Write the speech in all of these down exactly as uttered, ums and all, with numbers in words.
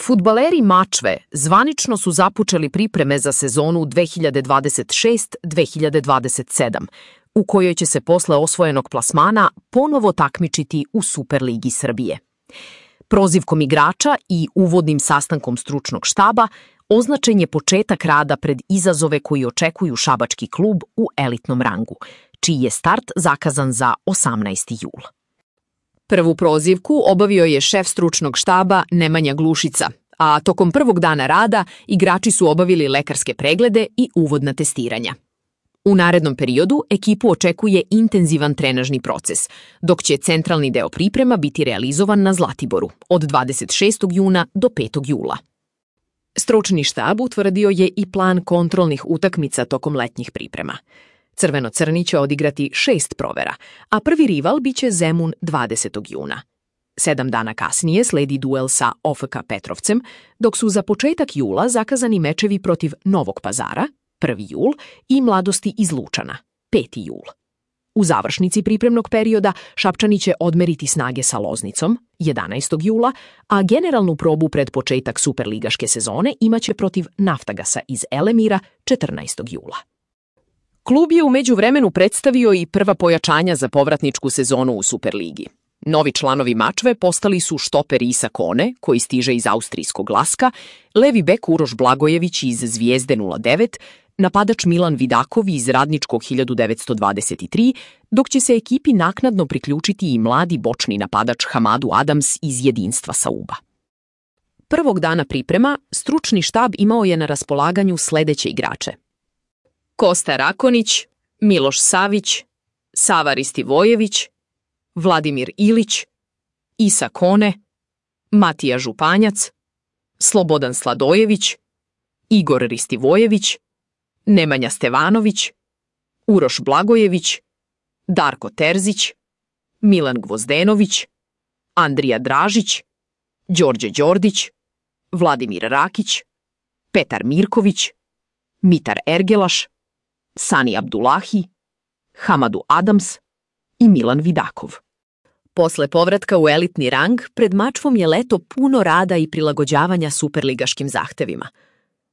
Fudbaleri Mačve zvanično su započeli pripreme za sezonu dve hiljade dvadeset šest dve hiljade dvadeset sedam, u kojoj će se posle osvojenog plasmana ponovo takmičiti u Superligi Srbije. Prozivkom igrača i uvodnim sastankom stručnog štaba označen je početak rada pred izazove koji očekuju šabački klub u elitnom rangu, čiji je start zakazan za osamnaesti jul. Prvu prozivku obavio je šef stručnog štaba Nemanja Glušica, a tokom prvog dana rada igrači su obavili lekarske preglede i uvodna testiranja. U narednom periodu ekipu očekuje intenzivan trenažni proces, dok će centralni deo priprema biti realizovan na Zlatiboru od dvadeset šestog juna do petog jula. Stručni štab utvrdio je i plan kontrolnih utakmica tokom letnjih priprema. Crveno-crni će odigrati šest provera, a prvi rival biće Zemun dvadesetog juna. Sedam dana kasnije sledi duel sa O F K Petrovcem, dok su za početak jula zakazani mečevi protiv Novog Pazara, prvi jul, i Mladosti iz Lučana, peti jul. U završnici pripremnog perioda Šapčani će odmeriti snage sa Loznicom, jedanaestog jula, a generalnu probu pred početak superligaške sezone imaće protiv Naftagasa iz Elemira četrnaestog jula. Klub je u međuvremenu predstavio i prva pojačanja za povratničku sezonu u Superligi. Novi članovi Mačve postali su štoper Isa Kone, koji stiže iz austrijskog Laska, levi bek Uroš Blagojević iz Zvijezde nula devet, napadač Milan Vidakov iz Radničkog hiljadu devetsto dvadeset tri, dok će se ekipi naknadno priključiti i mladi bočni napadač Hamadu Adams iz Jedinstva Sauba. Prvog dana priprema stručni štab imao je na raspolaganju sledeće igrače: Kosta Rakonić, Miloš Savić, Sava Ristivojević, Vladimir Ilić, Isa Kone, Matija Županjac, Slobodan Sladojević, Igor Ristivojević, Nemanja Stevanović, Uroš Blagojević, Darko Terzić, Milan Gvozdenović, Andrija Dražić, Đorđe Đordić, Vladimir Rakić, Petar Mirković, Mitar Ergelaš, Sani Abdulahi, Hamadu Adams i Milan Vidakov. Posle povratka u elitni rang, pred Mačvom je leto puno rada i prilagođavanja superligaškim zahtevima.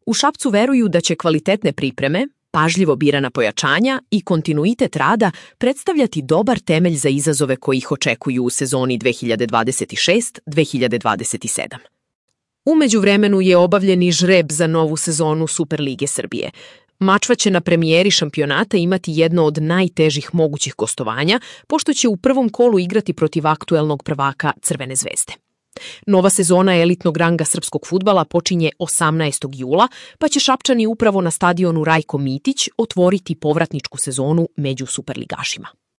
U Šapcu veruju da će kvalitetne pripreme, pažljivo birana pojačanja i kontinuitet rada predstavljati dobar temelj za izazove koji ih očekuju u sezoni dve hiljade dvadeset šest dve hiljade dvadeset sedam. U međuvremenu je obavljen i žreb za novu sezonu Superlige Srbije. Mačva će na premijeri šampionata imati jedno od najtežih mogućih gostovanja, pošto će u prvom kolu igrati protiv aktuelnog prvaka Crvene zvezde. Nova sezona elitnog ranga srpskog fudbala počinje osamnaestog jula, pa će Šapčani upravo na stadionu Rajko Mitić otvoriti povratničku sezonu među superligašima.